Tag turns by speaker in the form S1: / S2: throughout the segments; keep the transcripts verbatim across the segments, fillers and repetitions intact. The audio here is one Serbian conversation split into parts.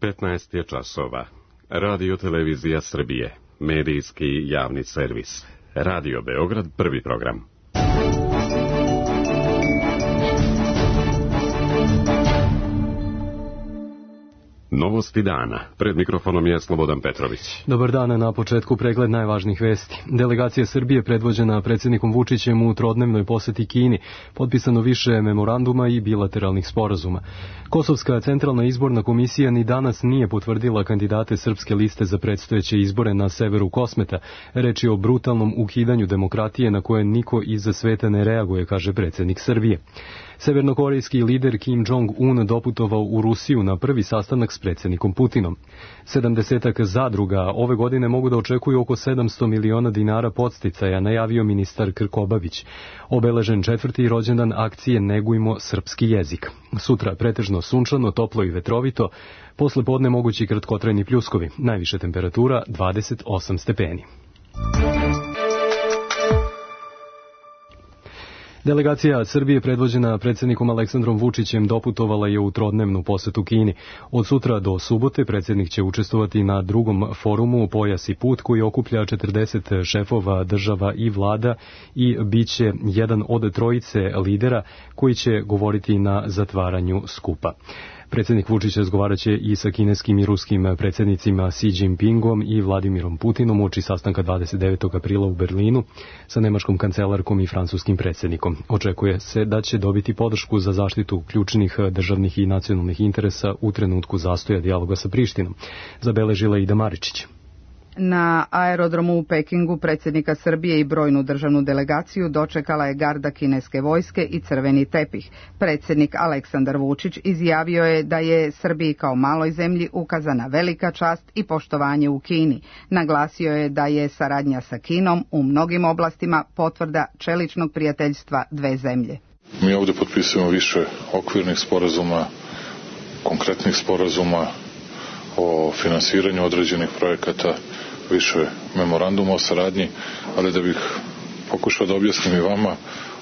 S1: petnaest je časova. Radio Televizija Srbije, medijski javni servis. Radio Beograd, prvi program. Novosti dana. Pred mikrofonom je Slobodan Petrović.
S2: Dobar dan, na početku pregled najvažnijih vesti. Delegacija Srbije predvođena predsjednikom Vučićem u trodnevnoj poseti Kini, potpisano više memoranduma i bilateralnih sporazuma. Kosovska centralna izborna komisija ni danas nije potvrdila kandidate srpske liste za predstojeće izbore na severu Kosmeta. Reč je o brutalnom ukidanju demokratije na koje niko iza sveta ne reaguje, kaže predsjednik Srbije. Severnokorejski lider Kim Jong-un doputovao u Rusiju na prvi sastanak s predsjednikom Putinom. Sedamdesetak zadruga ove godine mogu da očekuju oko sedamsto miliona dinara podsticaja, najavio ministar Krkobabić. Obeležen četvrti rođendan akcije Negujmo srpski jezik. Sutra pretežno sunčano, toplo i vetrovito, posle podne mogući kratkotrajni pljuskovi, najviše temperatura dvadeset osam stepeni. Delegacija Srbije predvođena predsjednikom Aleksandrom Vučićem doputovala je u trodnevnu posetu Kini. Od sutra do subote predsjednik će učestvovati na drugom forumu Pojas i put koji okuplja četrdeset šefova država i vlada i bit će jedan od trojice lidera koji će govoriti na zatvaranju skupa. Predsjednik Vučić razgovarat će i sa kineskim i ruskim predsjednicima Xi Jinpingom i Vladimirom Putinom uoči sastanka dvadeset devetog aprila u Berlinu sa nemačkom kancelarkom i francuskim predsjednikom. Očekuje se da će dobiti podršku za zaštitu ključnih državnih i nacionalnih interesa u trenutku zastoja dijaloga sa Prištinom, zabeležila Ida Maričić.
S3: Na aerodromu u Pekingu predsjednika Srbije i brojnu državnu delegaciju dočekala je garda kineske vojske i crveni tepih. Predsjednik Aleksandar Vučić izjavio je da je Srbiji kao maloj zemlji ukazana velika čast i poštovanje u Kini. Naglasio je da je saradnja sa Kinom u mnogim oblastima potvrda čeličnog prijateljstva dve zemlje.
S4: Mi ovdje potpisujemo više okvirnih sporazuma, konkretnih sporazuma o finansiranju određenih projekata, više memoranduma o saradnji, ali da bih pokušao da objasnim i vama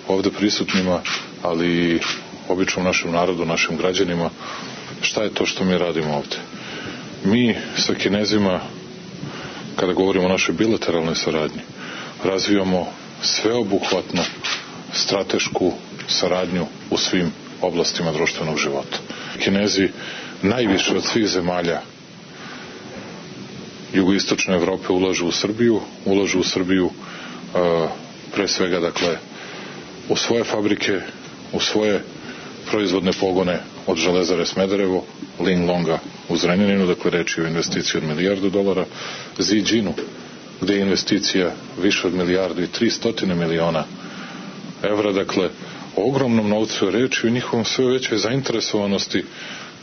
S4: ovdje prisutnima, ali i običnom našem narodu, našim građanima, šta je to što mi radimo ovdje. Mi sa Kinezima, kada govorimo o našoj bilateralnoj saradnji, razvijamo sveobuhvatnu stratešku saradnju u svim oblastima društvenog života. Kinezi najviše od svih zemalja jugoistočne Evrope ulažu u Srbiju, ulažu u Srbiju uh, pre svega dakle u svoje fabrike, u svoje proizvodne pogone od Železare Smederevo, Linglonga u Zrenjaninu, dakle reč je o investiciji od milijardu dolara, Ziđinu, gde je investicija više od milijardu i tri stotine miliona evra, dakle o ogromnom novcu je reč i o njihovom sve većoj zainteresovanosti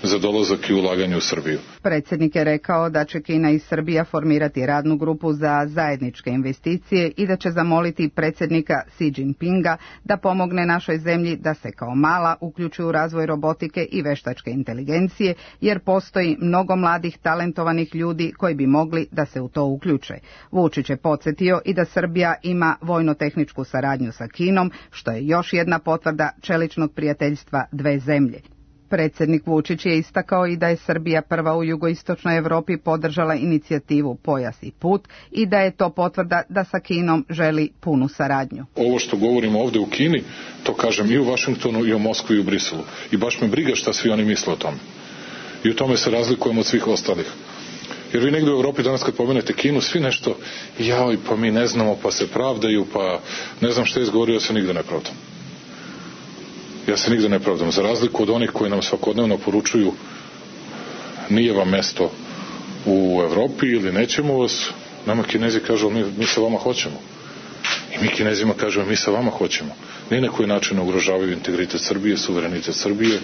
S4: za dolazak i ulaganje u Srbiju.
S3: Predsjednik je rekao da će Kina i Srbija formirati radnu grupu za zajedničke investicije i da će zamoliti predsjednika Xi Jinpinga da pomogne našoj zemlji da se kao mala uključi u razvoj robotike i veštačke inteligencije, jer postoji mnogo mladih talentovanih ljudi koji bi mogli da se u to uključe. Vučić je podsjetio i da Srbija ima vojno-tehničku saradnju sa Kinom, što je još jedna potvrda čeličnog prijateljstva dve zemlje. Predsjednik Vučić je istakao i da je Srbija prva u jugoistočnoj Evropi podržala inicijativu Pojas i put i da je to potvrda da sa Kinom želi punu saradnju.
S4: Ovo što govorimo ovdje u Kini, to kažem i u Vašingtonu i u Moskvi i u Briselu. I baš me briga šta svi oni misle o tome. I u tome se razlikujemo od svih ostalih. Jer vi negdje u Evropi danas kad pomenete Kinu, svi nešto, jao, pa mi ne znamo, pa se pravdaju, pa ne znam šta je izgovorio, ja se nigde ne pravdam. Ja se nigde ne pravdam. Za razliku od onih koji nam svakodnevno poručuju nije vam mesto u Evropi ili nećemo vas, nama Kinezi kažu mi, mi sa vama hoćemo. I mi Kinezima kažemo mi sa vama hoćemo. Ni na koji način ne ugrožavaju integritet Srbije, suverenitet Srbije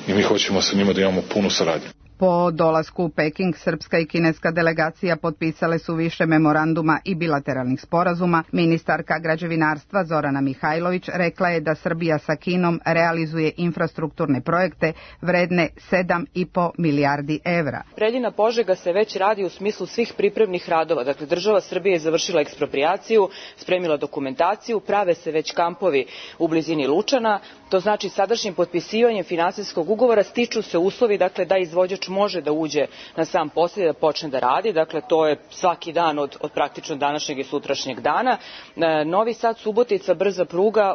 S4: i mi hoćemo sa njima da imamo punu saradnju.
S3: Po dolasku u Peking, srpska i kineska delegacija potpisale su više memoranduma i bilateralnih sporazuma. Ministarka građevinarstva Zorana Mihajlović rekla je da Srbija sa Kinom realizuje infrastrukturne projekte vredne sedam i po milijardi evra.
S5: Preljina-Požega se već radi u smislu svih pripremnih radova. Dakle, država Srbije je završila eksproprijaciju, spremila dokumentaciju, prave se već kampovi u blizini Lučana. To znači sadašnjim potpisivanjem finansijskog ugovora stiču se uslovi dakle, da izvođač može da uđe na sam posao i da počne da radi. Dakle, to je svaki dan od, od praktično današnjeg i sutrašnjeg dana. Novi Sad Subotica brza pruga,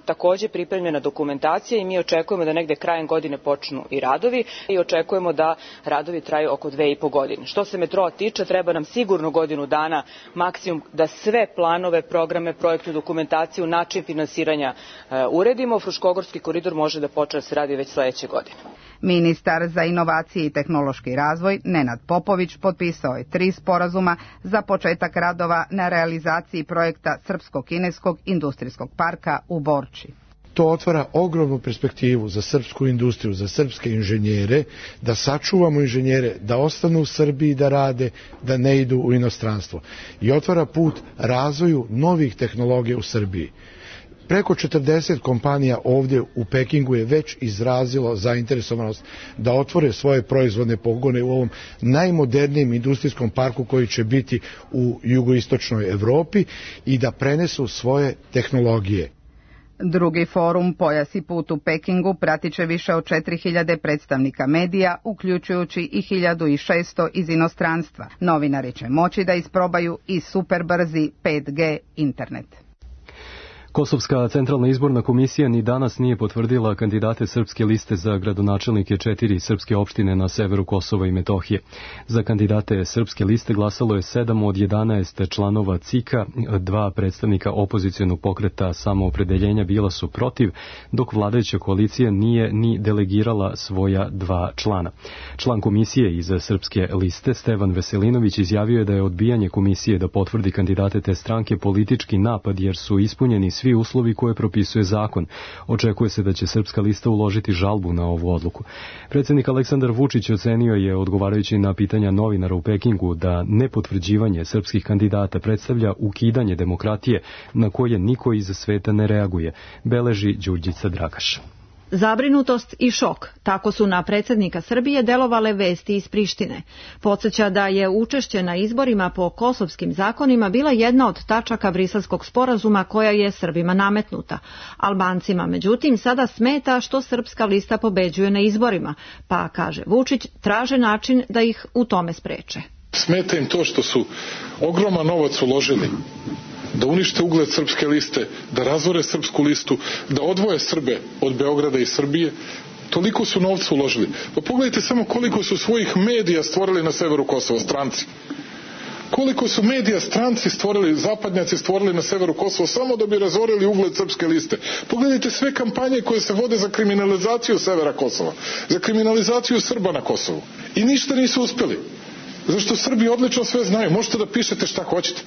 S5: takođe pripremljena dokumentacija i mi očekujemo da negde krajem godine počnu i radovi i očekujemo da radovi traju oko dve i po godine. Što se metroa tiče, treba nam sigurno godinu dana maksimum da sve planove, programe, projektu, dokumentaciju, način finansiranja uredimo. Fruškogorski koridor može da počne da se radi već sledeće godine.
S3: Ministar za inovacije i tehnološki razvoj Nenad Popović potpisao je tri sporazuma za početak radova na realizaciji projekta Srpsko-kineskog industrijskog parka u Borči.
S6: To otvara ogromnu perspektivu za srpsku industriju, za srpske inženjere, da sačuvamo inženjere, da ostanu u Srbiji da rade, da ne idu u inostranstvo. I otvara put razvoju novih tehnologija u Srbiji. Preko četrdeset kompanija ovdje u Pekingu je već izrazilo zainteresovanost da otvore svoje proizvodne pogone u ovom najmodernijem industrijskom parku koji će biti u jugoistočnoj Evropi i da prenesu svoje tehnologije.
S3: Drugi forum Pojas i put u Pekingu pratit će više od četiri hiljade predstavnika medija, uključujući i hiljadu šesto iz inostranstva. Novinari će moći da isprobaju i superbrzi pet G internet.
S2: Kosovska centralna izborna komisija ni danas nije potvrdila kandidate srpske liste za gradonačelnike četiri srpske opštine na severu Kosova i Metohije. Za kandidate srpske liste glasalo je sedam od jedanaest članova C I K-a, dva predstavnika opozicionog pokreta Samoopredeljenja bila su protiv, dok vladajuća koalicija nije ni delegirala svoja dva člana. Član komisije iz srpske liste, Stevan Veselinović, izjavio je da je odbijanje komisije da potvrdi kandidate te stranke politički napad jer su ispunjeni svi uslovi koje propisuje zakon. Očekuje se da će srpska lista uložiti žalbu na ovu odluku. Predsjednik Aleksandar Vučić ocenio je, odgovarajući na pitanja novinara u Pekingu, da nepotvrđivanje srpskih kandidata predstavlja ukidanje demokratije na koje niko iz sveta ne reaguje, beleži Đurđica Dragaš.
S7: Zabrinutost i šok, tako su na predsjednika Srbije delovale vesti iz Prištine. Podsjeća da je učešće na izborima po kosovskim zakonima bila jedna od tačaka Briselskog sporazuma koja je Srbima nametnuta. Albancima, međutim, sada smeta što srpska lista pobeđuje na izborima, pa, kaže Vučić, traže način da ih u tome spreče.
S4: Smeta im to što su ogroman novac uložili da unište ugled srpske liste, da razvore srpsku listu, da odvoje Srbe od Beograda i Srbije. Toliko su novca uložili. Pa pogledajte samo koliko su svojih medija stvorili na severu Kosova, stranci. Koliko su medija stranci stvorili, zapadnjaci stvorili na severu Kosova samo da bi razorili ugled srpske liste. Pogledajte sve kampanje koje se vode za kriminalizaciju severa Kosova, za kriminalizaciju Srba na Kosovu. I ništa nisu uspeli. Zašto Srbi odlično sve znaju. Možete da pišete šta hoćete.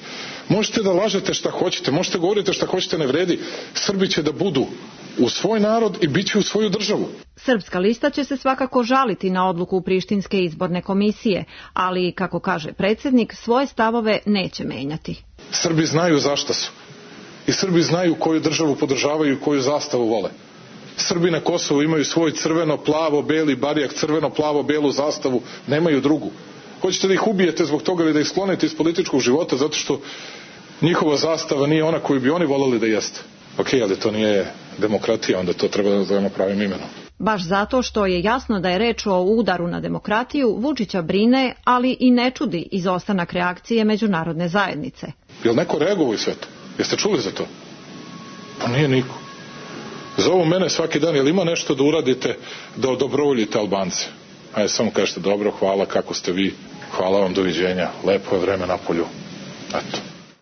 S4: Možete da lažete šta hoćete. Možete da govorite šta hoćete, ne vredi. Srbi će da budu u svoj narod i bit će u svoju državu.
S7: Srpska lista će se svakako žaliti na odluku Prištinske izborne komisije, ali, kako kaže predsjednik, svoje stavove neće menjati.
S4: Srbi znaju zašta su. I Srbi znaju koju državu podržavaju i koju zastavu vole. Srbi na Kosovu imaju svoj crveno-plavo-beli barijak, crveno-plavo-belu zastavu, nemaju drugu. Hoćete da ih ubijete zbog toga ili da ih sklonite iz političkog života zato što njihova zastava nije ona koju bi oni voleli da jeste. Ok, ali to nije demokratija, onda to treba da zovemo pravim imenom.
S7: Baš zato što je jasno da je reč o udaru na demokratiju, Vučića brine, ali i ne čudi izostanak reakcije međunarodne zajednice.
S4: Je li neko reagovao i sve to? Jeste čuli za to? Pa nije niko. Zovu mene svaki dan, jel ima nešto da uradite da odobrovoljite Albance? Ajde, samo kažete dobro, hvala, kako ste vi, hvala vam, doviđenja, lepo je vreme na polju. Eto.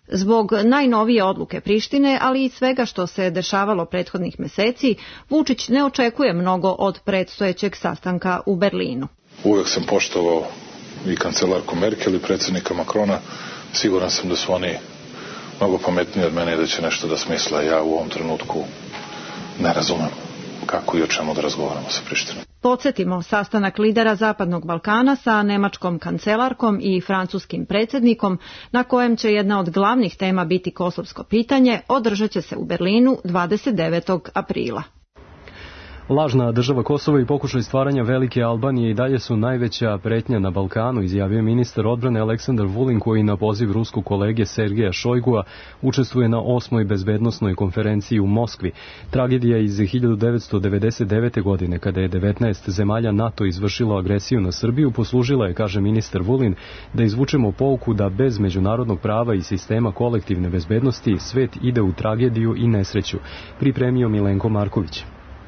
S7: Zbog najnovije odluke Prištine, ali i svega što se dešavalo prethodnih meseci, Vučić ne očekuje mnogo od predstojećeg sastanka u Berlinu.
S4: Uvek sam poštovao i kancelarku Merkel i predsjednika Makrona. Siguran sam da su oni mnogo pametniji od mene i da će nešto da smisle. Ja u ovom trenutku ne razumem kako i o čemu da razgovaramo sa Prištinom.
S7: Podsjetimo, sastanak lidera Zapadnog Balkana sa nemačkom kancelarkom i francuskim predsjednikom, na kojem će jedna od glavnih tema biti kosovsko pitanje, održat će se u Berlinu dvadeset devetog aprila.
S2: Lažna država Kosovo i pokušaj stvaranja velike Albanije i dalje su najveća pretnja na Balkanu, izjavio ministar odbrane Aleksandar Vulin, koji na poziv ruskog kolege Sergeja Šojgua učestvuje na osmoj bezbednosnoj konferenciji u Moskvi. Tragedija iz hiljadu devetsto devedeset devete. godine, kada je devetnaest zemalja NATO izvršilo agresiju na Srbiju, poslužila je, kaže ministar Vulin, da izvučemo pouku da bez međunarodnog prava i sistema kolektivne bezbednosti svet ide u tragediju i nesreću. Pripremio Milenko Marković.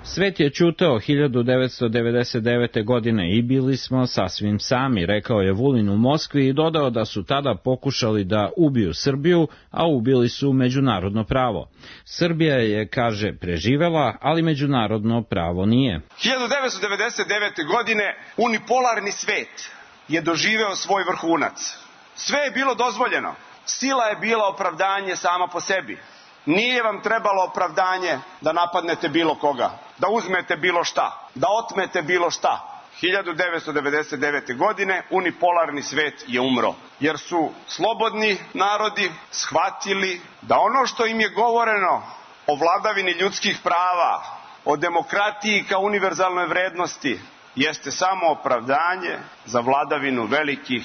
S8: Svet je ćutao hiljadu devetsto devedeset devete. godine i bili smo sasvim sami, rekao je Vulin u Moskvi i dodao da su tada pokušali da ubiju Srbiju, a ubili su međunarodno pravo. Srbija je, kaže, preživela, ali međunarodno pravo nije.
S9: hiljadu devetsto devedeset devete. godine unipolarni svet je doživeo svoj vrhunac. Sve je bilo dozvoljeno. Sila je bila opravdanje sama po sebi. Nije vam trebalo opravdanje da napadnete bilo koga, da uzmete bilo šta, da otmete bilo šta. hiljadu devetsto devedeset devete. godine unipolarni svet je umro, jer su slobodni narodi shvatili da ono što im je govoreno o vladavini ljudskih prava, o demokratiji kao univerzalnoj vrednosti, jeste samo opravdanje za vladavinu velikih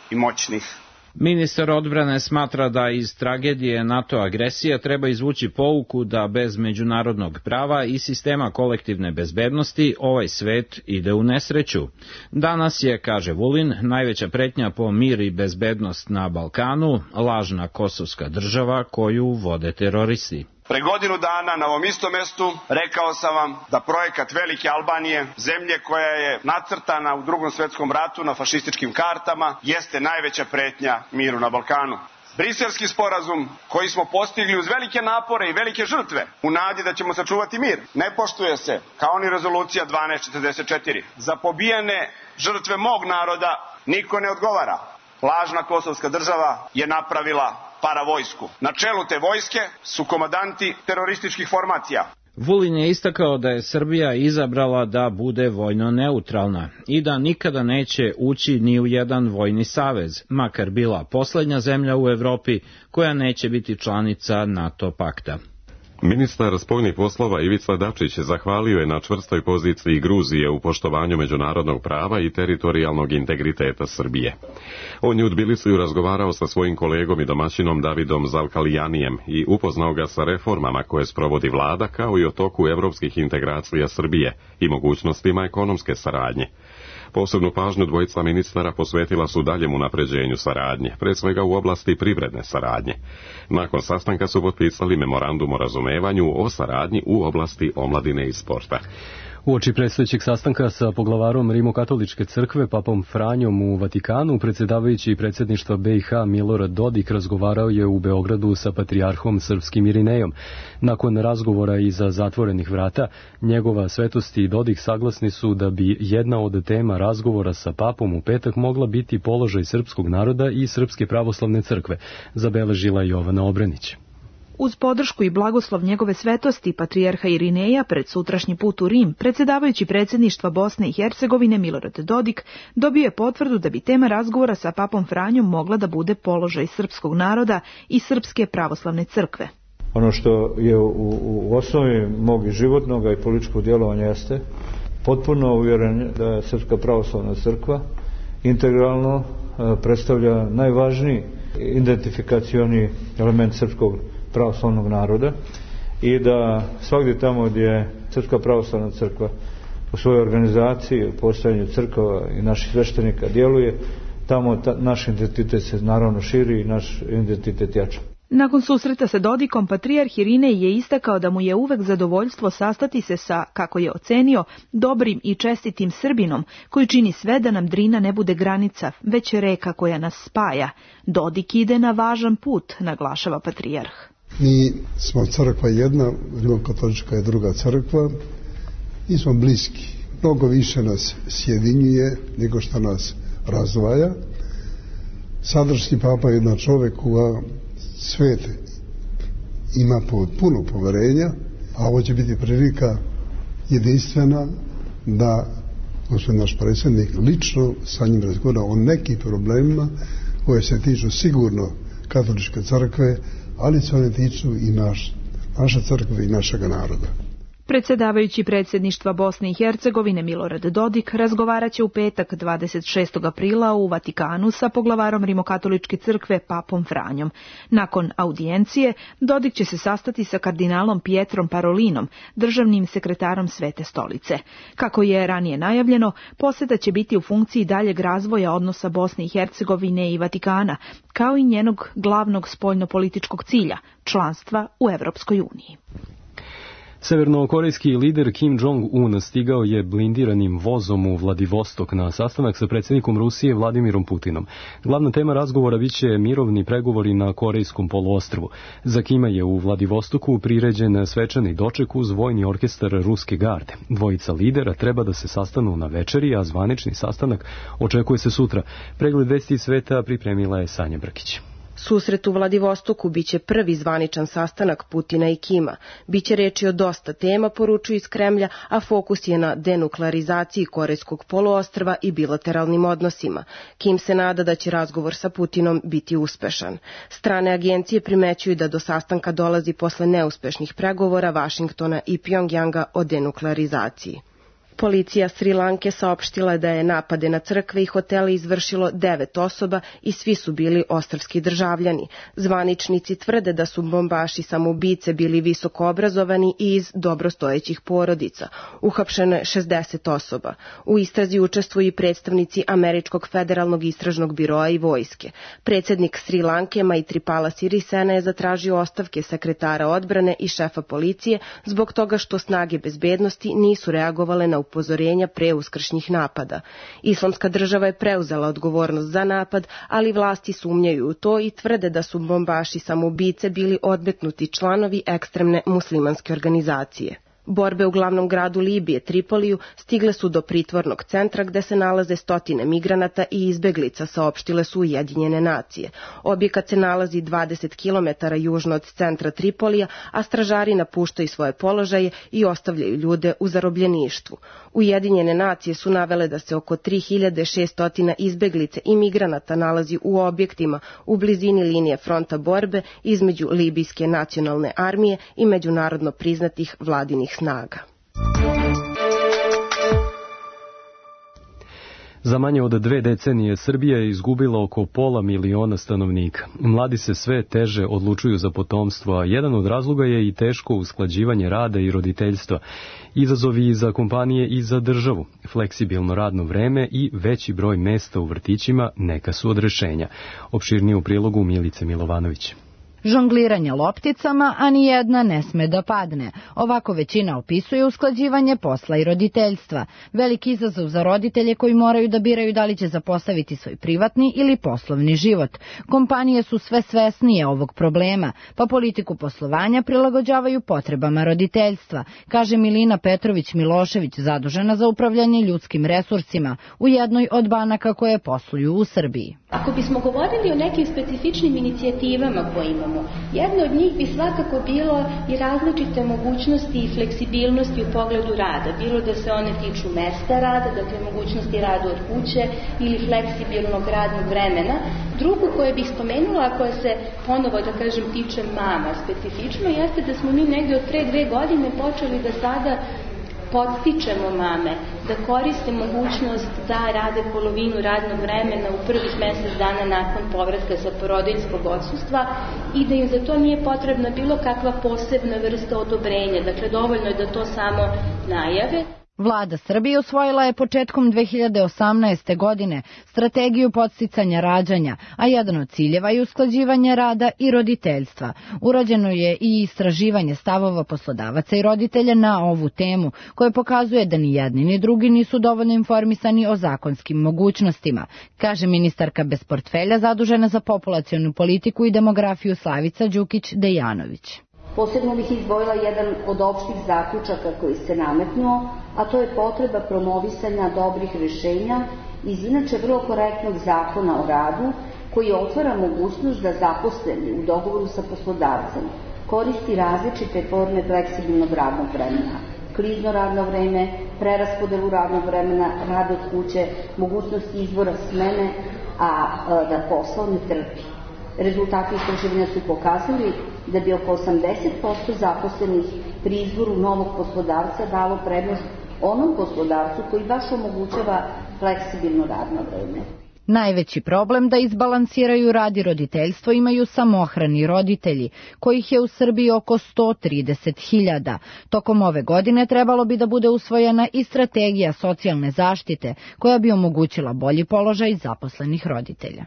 S9: i moćnih.
S8: Ministar odbrane smatra da iz tragedije NATO agresije treba izvući pouku da bez međunarodnog prava i sistema kolektivne bezbednosti ovaj svet ide u nesreću. Danas je, kaže Vulin, najveća pretnja po mir i bezbednost na Balkanu lažna kosovska država koju vode teroristi.
S9: Pre godinu dana na ovom istom mestu rekao sam vam da projekat Velike Albanije, zemlje koja je nacrtana u Drugom svetskom ratu na fašističkim kartama, jeste najveća pretnja miru na Balkanu. Briselski sporazum koji smo postigli uz velike napore i velike žrtve u nadi da ćemo sačuvati mir, ne poštuje se, kao ni rezolucija dvanaest četrdeset četiri. Za pobijene žrtve mog naroda niko ne odgovara. Lažna kosovska država je napravila paravojsku. Na čelu te vojske su komandanti terorističkih formacija.
S8: Vulin je istakao da je Srbija izabrala da bude vojno neutralna i da nikada neće ući ni u jedan vojni savez, makar bila poslednja zemlja u Evropi koja neće biti članica NATO pakta.
S1: Ministar spoljnih poslova Ivica Dačić zahvalio je na čvrstoj poziciji Gruzije u poštovanju međunarodnog prava i teritorijalnog integriteta Srbije. On je u Tbilisiju razgovarao sa svojim kolegom i domaćinom Davidom Zalkalijanijem i upoznao ga sa reformama koje sprovodi vlada, kao i o toku evropskih integracija Srbije i mogućnostima ekonomske saradnje. Posebnu pažnju dvojica ministara posvetila su daljem unapređenju saradnje, pre svega u oblasti privredne saradnje. Nakon sastanka su potpisali memorandum o razumevanju o saradnji u oblasti omladine i sporta.
S2: Uoči predstojećeg sastanka sa poglavarom Rimokatoličke crkve, papom Franjom u Vatikanu, predsjedavajući predsjedništva B i H Milorad Dodik razgovarao je u Beogradu sa patrijarhom srpskim Irinejom. Nakon razgovora iza zatvorenih vrata, njegova svetost i Dodik saglasni su da bi jedna od tema razgovora sa papom u petak mogla biti položaj srpskog naroda i Srpske pravoslavne crkve, zabeležila Jovana Obrenić.
S10: Uz podršku i blagoslov njegove svetosti, patrijarha Irineja, pred sutrašnji put u Rim, predsjedavajući predsjedništva Bosne i Hercegovine Milorad Dodik dobio je potvrdu da bi tema razgovora sa papom Franjom mogla da bude položaj srpskog naroda i Srpske pravoslavne crkve.
S11: Ono što je u, u osnovi mog i životnog i političkog djelovanja jeste potpuno uvjeren da je Srpska pravoslavna crkva integralno predstavlja najvažniji identifikacioni element srpskog pravoslavnog naroda i da svagdje tamo gdje je Srpska pravoslavna crkva u svojoj organizaciji, u postojanju crkava i naših sveštenika djeluje, tamo ta, naš identitet se naravno širi i naš identitet jača.
S10: Nakon susreta sa Dodikom, patrijarh Irinej je istakao da mu je uvek zadovoljstvo sastati se sa, kako je ocenio, dobrim i čestitim Srbinom, koji čini sve da nam Drina ne bude granica, već reka koja nas spaja. Dodik ide na važan put, naglašava patrijarh.
S12: Mi smo crkva jedna, Rimokatolička je druga crkva, mi smo bliski. Mnogo više nas sjedinjuje nego što nas razdvaja. Sadašnji papa je jedan čovjek koga svet ima puno poverenja, a ovo će biti prilika jedinstvena da gospodin naš predsjednik lično sa njim razgovara o nekim problemima koje se tiču sigurno katoličke crkve, ali se one tiču i naš, naše crkve i našega naroda.
S10: Predsjedavajući predsjedništva Bosne i Hercegovine Milorad Dodik razgovaraće u petak dvadeset šestog aprila u Vatikanu sa poglavarom Rimokatoličke crkve Papom Franjom. Nakon audijencije Dodik će se sastati sa kardinalom Pietrom Parolinom, državnim sekretarom Svete stolice. Kako je ranije najavljeno, posjeta će biti u funkciji daljeg razvoja odnosa Bosne i Hercegovine i Vatikana, kao i njenog glavnog spoljnopolitičkog cilja, članstva u Europskoj uniji.
S2: Severnokorejski lider Kim Jong-un stigao je blindiranim vozom u Vladivostok na sastanak sa predsjednikom Rusije Vladimirom Putinom. Glavna tema razgovora biće mirovni pregovori na Korejskom poluostrvu. Za Kima je u Vladivostoku priređen svečani doček uz vojni orkestar Ruske garde. Dvojica lidera treba da se sastanu na večeri, a zvanični sastanak očekuje se sutra. Pregled vesti sveta pripremila je Sanja Brkić.
S13: Susret u Vladivostoku biće prvi zvaničan sastanak Putina i Kima. Biće reči o dosta tema, poručuju iz Kremlja, a fokus je na denuklearizaciji Korejskog poluostrva i bilateralnim odnosima. Kim se nada da će razgovor sa Putinom biti uspešan. Strane agencije primećuju da do sastanka dolazi posle neuspešnih pregovora Vašingtona i Pjongjanga o denuklearizaciji. Policija Sri Lanke saopštila da je napade na crkve i hotele izvršilo devet osoba i svi su bili ostrvski državljani. Zvaničnici tvrde da su bombaši samoubice bili visoko obrazovani i iz dobrostojećih porodica. Uhapšeno je šezdeset osoba. U istrazi učestvuju i predstavnici Američkog federalnog istražnog biroa i vojske. Predsjednik Sri Lanke Maithripala Sirisena je zatražio ostavke sekretara odbrane i šefa policije zbog toga što snage bezbednosti nisu reagovale na upozorenja pre uskršnjih napada. Islamska država je preuzela odgovornost za napad, ali vlasti sumnjaju u to i tvrde da su bombaši samoubice bili odmetnuti članovi ekstremne muslimanske organizacije. Borbe u glavnom gradu Libije, Tripoliju, stigle su do pritvornog centra gde se nalaze stotine migranata i izbeglica, saopštile su Ujedinjene nacije. Objekat se nalazi dvadeset kilometara južno od centra Tripolija, a stražari napuštaju svoje položaje i ostavljaju ljude u zarobljeništvu. Ujedinjene nacije su navele da se oko tri hiljade šesto izbeglice i migranata nalazi u objektima u blizini linije fronta borbe između Libijske nacionalne armije i međunarodno priznatih vladinih snaga.
S2: Za manje od dve decenije Srbija je izgubila oko pola miliona stanovnika. Mladi se sve teže odlučuju za potomstvo, a jedan od razloga je i teško usklađivanje rada i roditeljstva. Izazovi za kompanije i za državu, fleksibilno radno vreme i veći broj mesta u vrtićima neka su od rešenja. Opširnije u prilogu Milice Milovanović.
S14: Žongliranje lopticama, a ni jedna ne sme da padne. Ovako većina opisuje usklađivanje posla i roditeljstva. Veliki izazov za roditelje koji moraju da biraju da li će zapostaviti svoj privatni ili poslovni život. Kompanije su sve svesnije ovog problema, pa politiku poslovanja prilagođavaju potrebama roditeljstva, kaže Milina Petrović-Milošević, zadužena za upravljanje ljudskim resursima u jednoj od banaka koje posluju u Srbiji.
S15: Ako bismo govorili o nekim specifičnim inicijativama koje imamo, jedno od njih bi svakako bilo i različite mogućnosti i fleksibilnosti u pogledu rada, bilo da se one tiču mesta rada, dakle mogućnosti rada od kuće ili fleksibilnog radnog vremena. Drugo koje bih spomenula, a koje se ponovo, da kažem, tiče mama specifično, jeste da smo mi negde od pre dve godine počeli da sada podstičemo mame da koriste mogućnost da rade polovinu radnog vremena u prvih mesec dana nakon povratka sa porodiljskog odsustva i da im za to nije potrebna bilo kakva posebna vrsta odobrenja. Dakle, dovoljno je da to samo najave.
S14: Vlada Srbije usvojila je početkom dve hiljade osamnaeste. godine strategiju podsticanja rađanja, a jedan od ciljeva je usklađivanje rada i roditeljstva. Urađeno je i istraživanje stavova poslodavaca i roditelja na ovu temu, koje pokazuje da ni jedni ni drugi nisu dovoljno informisani o zakonskim mogućnostima, kaže ministarka bez portfelja zadužena za populacionu politiku i demografiju Slavica Đukić-Dejanović.
S16: Posebno bih izdvojila jedan od opštih zaključaka koji se nametnuo, a to je potreba promovisanja dobrih rešenja iz inače vrlo korektnog zakona o radu, koji otvara mogućnost da zaposleni u dogovoru sa poslodavcem koristi različite forme fleksibilnog radnog vremena, klizno radno vreme, preraspodelu radnog vremena, rad od kuće, mogućnost izbora smene, a da posao ne trpi. Rezultati istraživanja su pokazali da bi oko osamdeset posto zaposlenih pri izboru novog poslodavca dalo prednost onom poslodavcu koji baš omogućava fleksibilno radno vreme.
S14: Najveći problem da izbalansiraju rad i roditeljstvo imaju samohrani roditelji, kojih je u Srbiji oko sto trideset hiljada. Tokom ove godine trebalo bi da bude usvojena i strategija socijalne zaštite, koja bi omogućila bolji položaj zaposlenih roditelja.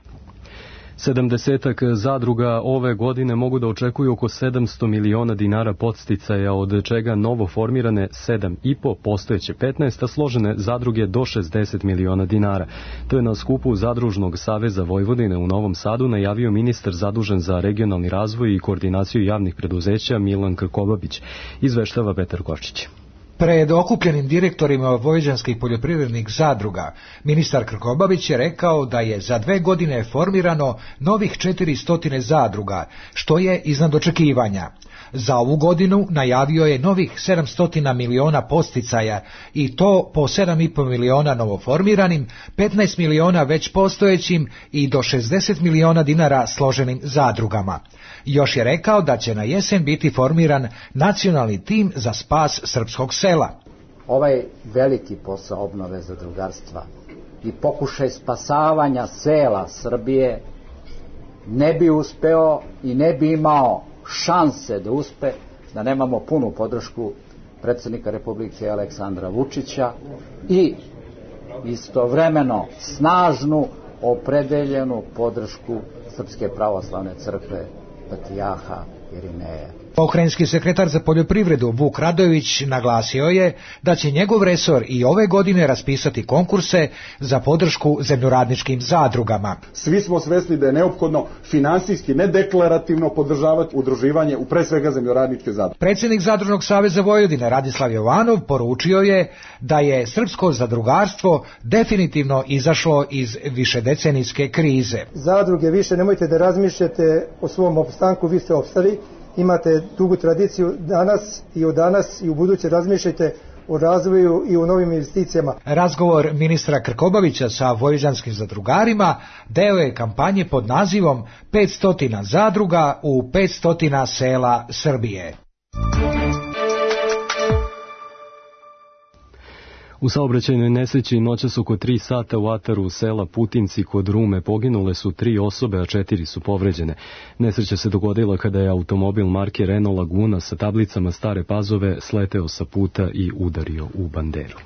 S2: Sedamdesetak zadruga ove godine mogu da očekuju oko sedamsto miliona dinara podsticaja, od čega novo formirane sedam i po, postojeće petnaest, a složene zadruge do šezdeset miliona dinara. To je na skupu Zadružnog saveza Vojvodine u Novom Sadu najavio ministar zadužen za regionalni razvoj i koordinaciju javnih preduzeća Milan Krkobabić, izveštava Petar Kočić.
S17: Pred okupljenim direktorima vojvođanskih poljoprivrednih zadruga, ministar Krkobabić je rekao da je za dve godine formirano novih četiristo zadruga, što je iznad očekivanja. Za ovu godinu najavio je novih sedamsto miliona podsticaja i to po sedam i po miliona novoformiranim, petnaest miliona već postojećim i do šezdeset miliona dinara složenim zadrugama. Još je rekao da će na jesen biti formiran nacionalni tim za spas srpskog sela.
S18: Ovaj veliki posao obnove zadrugarstva i pokušaj spasavanja sela Srbije ne bi uspeo i ne bi imao šanse da uspe da nemamo punu podršku predsjednika Republike Aleksandra Vučića i istovremeno snažnu, opredeljenu podršku Srpske pravoslavne crkve Patrijarha Irineja.
S17: Pokrajinski sekretar za poljoprivredu Vuk Radojević naglasio je da će njegov resor i ove godine raspisati konkurse za podršku zemljoradničkim zadrugama.
S19: Svi smo svesni da je neophodno finansijski, ne deklarativno podržavati udruživanje u pre svega zemljoradničke zadruge.
S17: Predsjednik Zadružnog saveza Vojvodine Radislav Jovanov poručio je da je srpsko zadrugarstvo definitivno izašlo iz višedecenijske krize.
S20: Zadruge više nemojte da razmišljate o svom opstanku, vi ste opstali. Imate dugu tradiciju danas i u danas i u buduće razmišljajte o razvoju i o novim investicijama.
S17: Razgovor ministra Krkobabića sa vojvođanskim zadrugarima deo je kampanje pod nazivom petsto zadruga u petsto sela Srbije.
S2: U saobraćajnoj nesreći noćas oko tri sata u ataru sela Putinci kod Rume poginule su tri osobe, a četiri su povređene. Nesreća se dogodila kada je automobil marke Renault Laguna sa tablicama Stare Pazove sleteo sa puta i udario u banderu.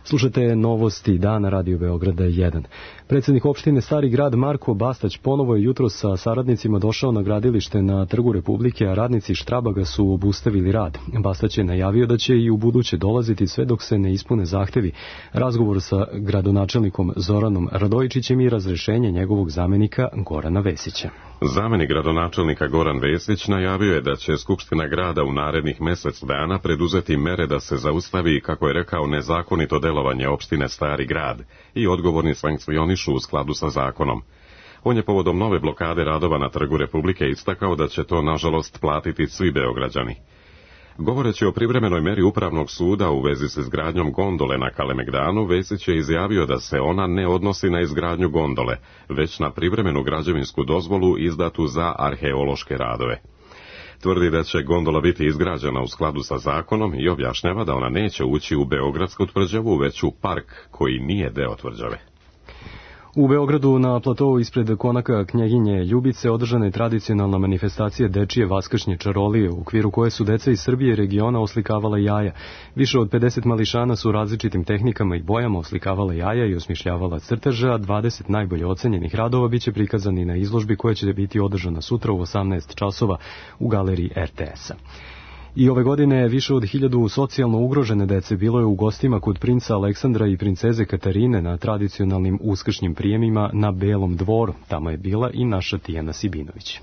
S2: Slušate novosti dana Radio Beograda jedan. Predsjednik opštine Stari Grad Marko Bastać ponovo je jutro sa saradnicima došao na gradilište na Trgu Republike, a radnici Štrabaga su obustavili rad. Bastać je najavio da će i u buduće dolaziti sve dok se ne ispune zahtevi. Razgovor sa gradonačelnikom Zoranom Radojičićem i razrešenje njegovog zamenika Gorana Vesića.
S1: Zamenik gradonačelnika Goran Vesić najavio je da će Skupština grada u narednih mjesec dana preduzeti mere da se zaustavi, kako je rekao, nezakonito delovanje opštine Stari Grad i odgovorni sankcionišu u skladu sa zakonom. On je povodom nove blokade radova na Trgu Republike istakao da će to nažalost platiti svi Beograđani. Govoreći o privremenoj meri Upravnog suda u vezi s izgradnjom gondole na Kalemegdanu, Vesić je izjavio da se ona ne odnosi na izgradnju gondole, već na privremenu građevinsku dozvolu izdatu za arheološke radove. Tvrdi da će gondola biti izgrađena u skladu sa zakonom i objašnjava da ona neće ući u Beogradsku tvrđavu, već u park koji nije deo tvrđave.
S2: U Beogradu na platovu ispred konaka Knjeginje Ljubice održana je tradicionalna manifestacija dečije vaskršnje čarolije, u okviru koje su deca iz Srbije i regiona oslikavala jaja. Više od pedeset mališana su različitim tehnikama i bojama oslikavala jaja i osmišljavala crteže, a dvadeset najbolje ocenjenih radova biće prikazani na izložbi koja će biti održana sutra u osamnaest časova u galeriji er te es a. I ove godine više od hiljadu socijalno ugrožene dece bilo je u gostima kod princa Aleksandra i princeze Katarine na tradicionalnim uskršnjim prijemima na Belom dvoru. Tamo je bila i naša Tijana Sibinović.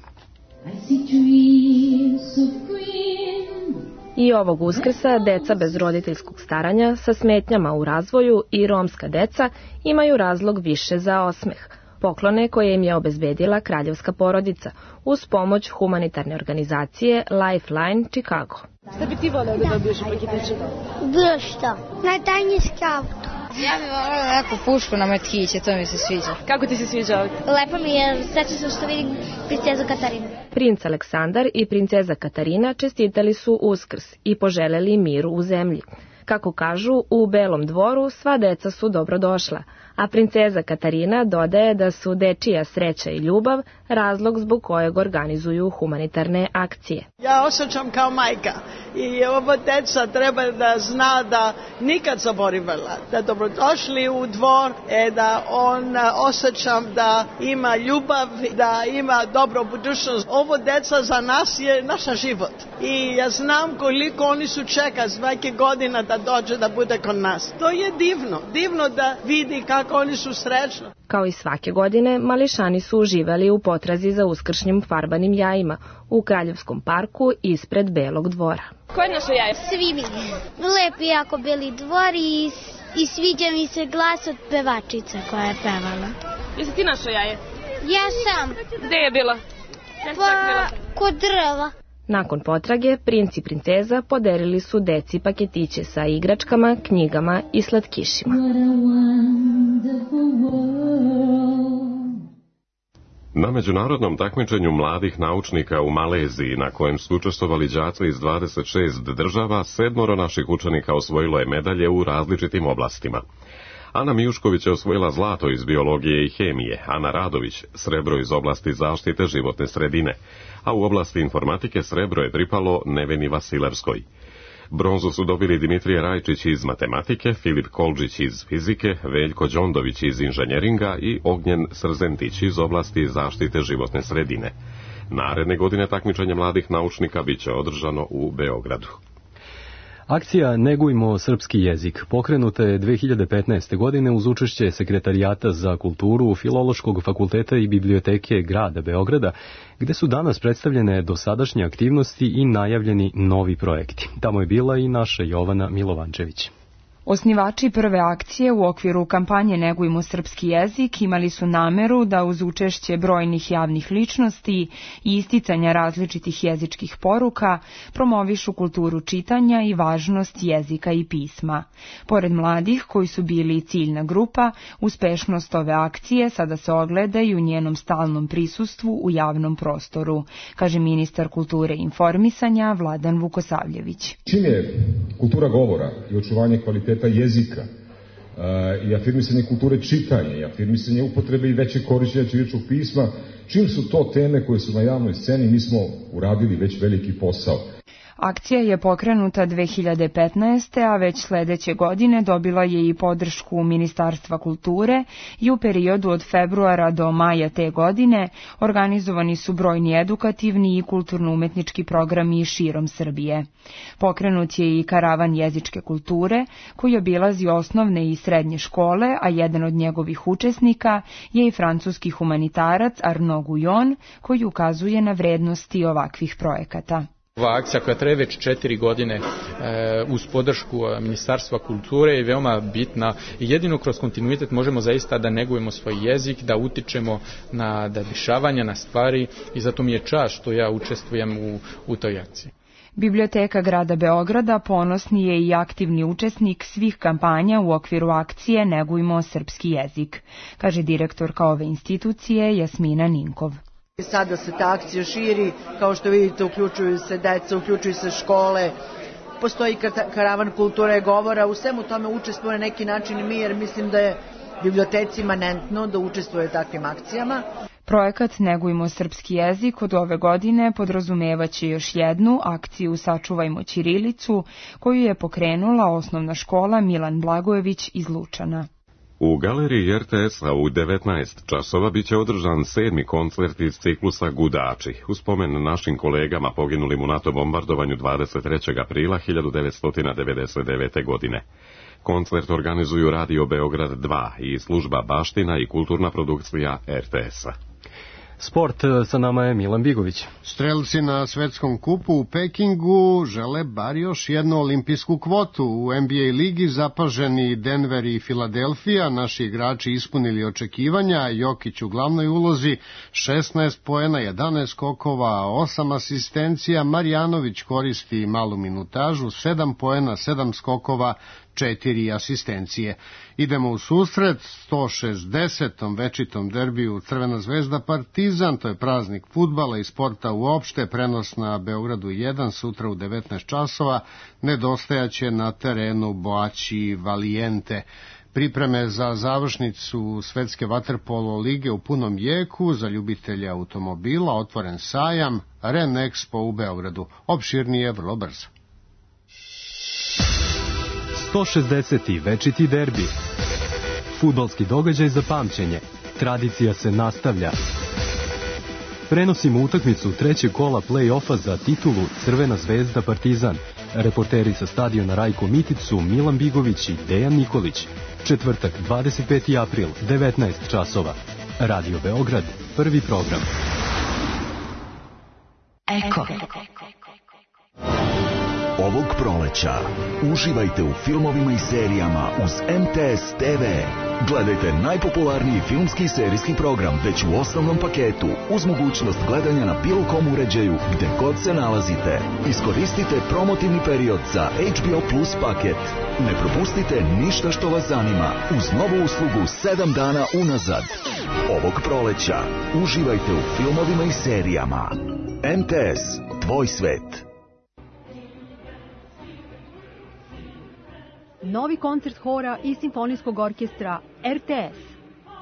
S21: I ovog Uskrsa deca bez roditeljskog staranja sa smetnjama u razvoju i romska deca imaju razlog više za osmeh. Poklone koje im je obezbedila kraljevska porodica uz pomoć humanitarne organizacije Lifeline Chicago.
S22: Šta bi ti voleo da dobiješ u paketiću? Bilo što. Najtajniji auto.
S5: Ja bih volila neku pušku na metkiće, to mi se sviđa.
S22: Kako ti se sviđa ovdje?
S5: Lepo mi je, srećna sam što vidim princezu Katarinu.
S21: Princ Aleksandar i princeza Katarina čestitali su Uskrs i poželeli miru u zemlji. Kako kažu, u Belom dvoru sva deca su dobrodošla, a princeza Katarina dodaje da su dečija sreća i ljubav razlog zbog kojeg organizuju humanitarne akcije.
S23: Ja osjećam kao majka i ovo deca treba da zna da nikad zaboravila, da dobrodošli u dvor, e, da on osjećam da ima ljubav, da ima dobro budućnost. Ovo deca za nas je naša život i ja znam koliko oni su čeka svake godine da dođe da bude kod nas. To je divno, divno da vidi kako oni su srećni.
S21: Kao i svake godine, mališani su uživali u potrazi za uskršnjim farbanim jajima u Kraljevskom parku ispred Belog dvora.
S22: Ko je naše jaje?
S5: Svi mi. Lep je jako Beli dvor i, i sviđa mi se glas od pevačice koja je pevala.
S22: Jesi ti našo jaje?
S5: Ja sam.
S22: Gde je bila?
S5: Pa, kod drva.
S21: Nakon potrage, princ i princeza podelili su deci paketiće sa igračkama, knjigama i slatkišima.
S1: Na međunarodnom takmičenju mladih naučnika u Maleziji, na kojem su učestvovali đaci iz dvadeset šest država, sedmoro naših učenika osvojilo je medalje u različitim oblastima. Ana Mijušković je osvojila zlato iz biologije i hemije, Ana Radović srebro iz oblasti zaštite životne sredine, a u oblasti informatike srebro je pripalo Neveni Vasilevskoj. Bronzu su dobili Dimitrije Rajčić iz matematike, Filip Kolđić iz fizike, Veljko Đondović iz inženjeringa i Ognjen Srzentić iz oblasti zaštite životne sredine. Naredne godine takmičenje mladih naučnika biće održano u Beogradu.
S2: Akcija Negujmo srpski jezik pokrenuta je dve hiljade petnaeste. godine uz učešće Sekretarijata za kulturu Filološkog fakulteta i biblioteke grada Beograda, gde su danas predstavljene dosadašnje aktivnosti i najavljeni novi projekti. Tamo je bila i naša Jovana Milovančević.
S24: Osnivači prve akcije u okviru kampanje Negujmo srpski jezik imali su nameru da uz učešće brojnih javnih ličnosti i isticanja različitih jezičkih poruka promovišu kulturu čitanja i važnost jezika i pisma. Pored mladih koji su bili ciljna grupa, uspešnost ove akcije sada se ogleda i u njenom stalnom prisustvu u javnom prostoru, kaže ministar kulture i informisanja Vladan Vukosavljević.
S25: Čim je kultura govora i očuvanje kvaliteta jezika uh, i afirmisanje kulture čitanja i afirmisanje upotrebe i veće korišćenja ćiriličnog pisma, čim su to teme koje su na javnoj sceni, mi smo uradili već veliki posao.
S24: Akcija je pokrenuta dve hiljade petnaeste. a već sledeće godine dobila je i podršku Ministarstva kulture i u periodu od februara do maja te godine organizovani su brojni edukativni i kulturno-umetnički programi širom Srbije. Pokrenut je i karavan jezičke kulture koji obilazi osnovne i srednje škole, a jedan od njegovih učesnika je i francuski humanitarac Arnaud Guyon koji ukazuje na vrednosti ovakvih projekata.
S26: Ova akcija koja traje već četiri godine e, uz podršku Ministarstva kulture je veoma bitna i jedino kroz kontinuitet možemo zaista da negujemo svoj jezik, da utičemo na da dešavanja, na stvari i zato mi je čast što ja učestvujem u, u toj akciji.
S24: Biblioteka grada Beograda ponosni je i aktivni učesnik svih kampanja u okviru akcije Negujmo srpski jezik, kaže direktorka ove institucije Jasmina Ninkov.
S27: Sada se ta akcija širi, kao što vidite uključuju se deca, uključuju se škole, postoji karavan kulture govora, u svemu tome učestvuje na neki način i mi, jer mislim da je biblioteci imanentno da učestvuje takvim akcijama.
S24: Projekat Negujmo srpski jezik od ove godine podrazumevaće još jednu akciju Sačuvajmo ćirilicu, koju je pokrenula osnovna škola Milan Blagojević iz Lučana.
S1: U galeriji er te es-a u devetnaest časova biće održan sedmi koncert iz ciklusa Gudači, u spomen našim kolegama poginulim u NATO bombardovanju dvadeset trećeg aprila hiljadu devetsto devedeset devete. godine. Koncert organizuju Radio Beograd dva i služba Baština i kulturna produkcija er te es-a.
S2: Sport, sa nama je Milan Bigović.
S28: Strelci na svetskom kupu u Pekingu žele bar još jednu olimpijsku kvotu. U en be a ligi zapaženi Denver i Filadelfija, naši igrači ispunili očekivanja, Jokić u glavnoj ulozi, šesnaest poena, jedanaest skokova, osam asistencija, Marjanović koristi malu minutažu, sedam poena, sedam skokova, četiri asistencije. Idemo u susret sto šezdesetom večitom derbiju Crvena zvezda Partizan, to je praznik fudbala i sporta uopšte, prenos na Beogradu jedan sutra u devetnaest časova, nedostajaće na terenu Boaći Valijente. Pripreme za završnicu Svetske vaterpolo lige u punom jeku, za ljubitelje automobila otvoren sajam Ren Expo u Beogradu. Opširnije vrlo brzo.
S2: sto šezdeseti večiti derbi. Fudbalski događaj za pamćenje. Tradicija se nastavlja. Prenosimo utakmicu trećeg kola play-offa za titulu Crvena zvezda Partizan. Reporteri sa stadiona Rajko Mitic su Milan Bigović i Dejan Nikolić. Četvrtak, dvadeset peti april, devetnaest časova. Radio Beograd, prvi program.
S3: Eko. Ovog proleća uživajte u filmovima i serijama uz M T S T V. Gledajte najpopularniji filmski i serijski program već u osnovnom paketu uz mogućnost gledanja na bilo kom uređaju gde god se nalazite. Iskoristite promotivni period za H B O Plus paket. Ne propustite ništa što vas zanima uz novu uslugu sedam dana unazad. Ovog proleća uživajte u filmovima i serijama. M T S, tvoj svet.
S4: Novi koncert hora i simfonijskog orkestra R T S.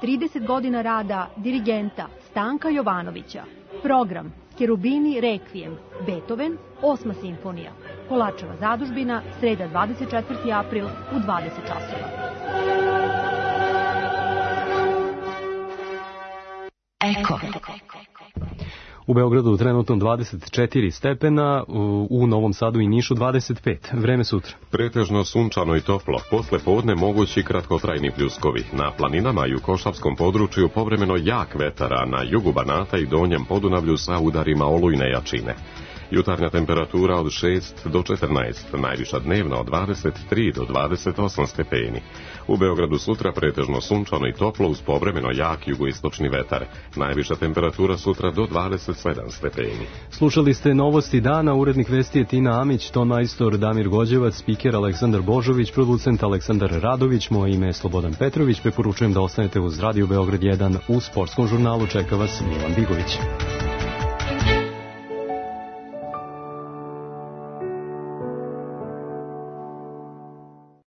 S4: trideset godina rada dirigenta Stanka Jovanovića. Program Kerubini Requiem, Beethoven, osma simfonija. Kolačeva zadužbina, sreda dvadeset četvrti april u dvadeset časova.
S3: Eko.
S2: U Beogradu trenutno dvadeset četiri stepena, u Novom Sadu i Nišu dvadeset pet. Vreme sutra.
S1: Pretežno sunčano i toplo, posle podne mogući kratkotrajni pljuskovi. Na planinama i u Košavskom području povremeno jak vetar, a na jugu Banata i Donjem Podunavlju sa udarima olujne jačine. Jutarnja temperatura od šest do četrnaest, najviša dnevna od dvadeset tri do dvadeset osam stepeni. U Beogradu sutra pretežno sunčano i toplo uz povremeno jak jugoistočni vetar. Najviša temperatura sutra do dvadeset sedam stepeni.
S2: Slušali ste novosti dana, urednik vesti je Tina Amić, ton majstor Damir Gođevac, spiker Aleksandar Božović, producent Aleksandar Radović, moje ime je Slobodan Petrović, preporučujem da ostanete uz Radio Beograd jedan, u sportskom žurnalu čeka vas Milan Bigović.